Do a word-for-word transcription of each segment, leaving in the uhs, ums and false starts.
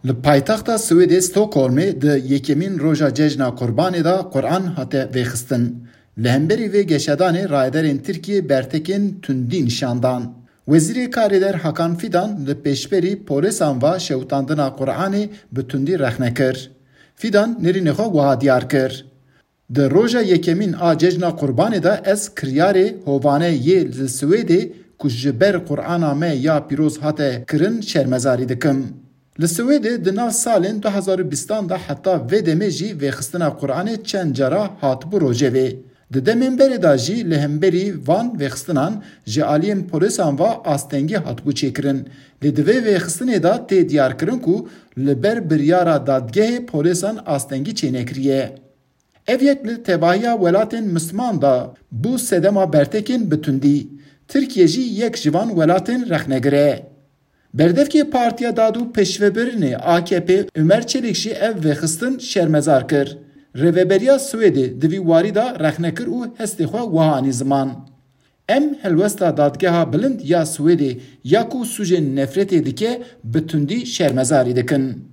Li paytexta Swêdê Stockholmê di yekemîn roja Cejna Qurbanê de Quran hate vêxistin. Li hemberî vê geşedanê rayedarên Tirkiyê bertekên tundî nîşan dan. Wezîrê Karê Der Hakan Fidan li pêşberî polêsan ve şewitandina Quranê bi tundî rexne kir. Fidan nêrînê xwe wiha diyar kir: Di roja yekemîn a Cejna Qurbanê de ez kiryarê hovane yê li Swêdê ku ji ber Qur'ana me ya pîroz hate kirin şermezarî dikim. Li Swêdê di nav salên du hezar û bîstan de heta vê demê jî vêxistina Qur'anê çend cara hatibû rojevê. Di demên berê de jî li hemberî van vêxistinan ji aliyên polîsan ve astengî hatibû çêkirin. Lê di vê vêxistinê de tê diyarkirin ku li ber biryara dadgehê polîsan astengî çênekiriye. Ev yek li tevahiya welatên Misliman de bû sedema bertekên bi tundî. Tirkiye jî yek ji van welatên rexnegir e. Berdevkê Partiya Dad û Pêşvebirinê A K P Ömer Çelik jî ev vêxistin şermezar kir. Rêveberiya Swêdê di vî warî de rexne kir û hestê xwe wiha anî ziman: Em helwesta Dadgeha Bilind ya Swêdê ya ku sûcên nefretê dike, bi tundî şermezarî dikin.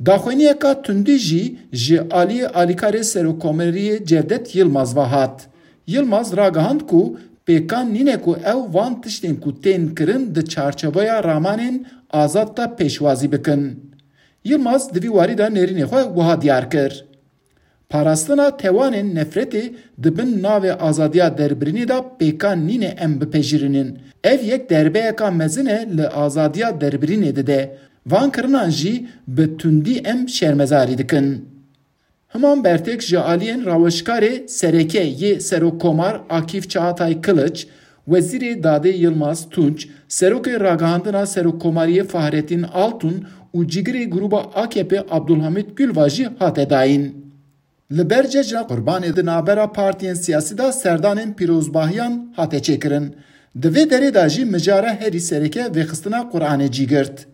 Daxuyaniyeka tundî jî ji aliyê alîkarê Serokkomariyê Cevdet Yilmaz ve hat. Yilmaz ragihand ku pêkan nîne ku ew van tiştên ku tên kirin di çarçoveya ramanên azad de pêşwazî bikin. Yilmaz di vî warî de nêrînê xwe wiha diyar kir: Parastina tewanên nefretê di bin navê azadiya derbirînê de pêkan nîne em bipejirînin. Ev yek derbeyeka mezin e li azadiya derbirînê dide. Van kirinan jî bi tundî em şermezarî dikin. Himan bertek ji aliyên rawêjkarê sereke yê Serokkomar Akîf Çağatay Kılıç, Wezîrê Dadê Yilmaz Tunç, Serokê Ragihandina Serokkomariyê Fahrettin Altun û cîgirê grûba A K P Abdulhamit Gül ve jî hate dayîn. Li ber Cejna Qurbanê di navbera partiyên siyasî de serdanên pîrozbahiyan hate çêkirin. Di vê derê de jî mijara herî sereke vêxistina Quranê cî girt.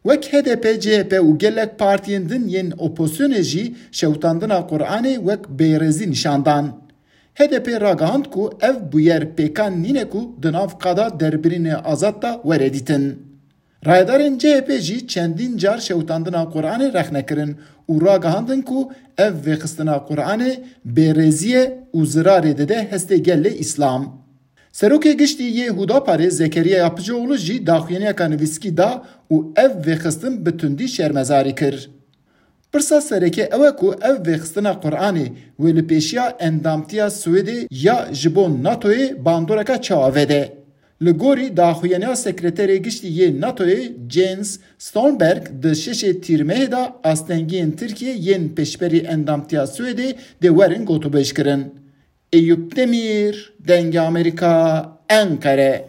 Wek H D P, C H P û gelek partiyên din yên opozisyonê jî şewitandina Quranê wek bêrêzî nîşan dan. H D P ragihand ku ev bûyer pêkan nîne ku di nav qada derbirînê azad de were dîtin. Rayedarên C H P jî çendîn car şewitandina Quranê rexne kirin û ragihandin ku ev vêxistina Quranê bêrêzî ye û zirarê dide hestê gelê Îslam. Serokê Giştî yê Hudaparê Zekeriya Yapıcıoğlu jî daxuyaniyeka nivîskî da û ev vêxistin bi tundî şermezarî kir. Pirsa sereke ew e ku ev vêxistina Quranê wê li pêşiya endamtiya Swêdê ya ji bo NATOyê bandoreka çawa vede. Li gorî daxuyaniya Sekreterê Giştî yê NATOyê Jens Stoltenberg, di şeşê Tîrmehê de astengiyên Tirkiyê yên pêşberî endamtiya Swêdê dê werin gotûbêjkirin. Eyûp Demîr, Dengê Amerîka, Enqere.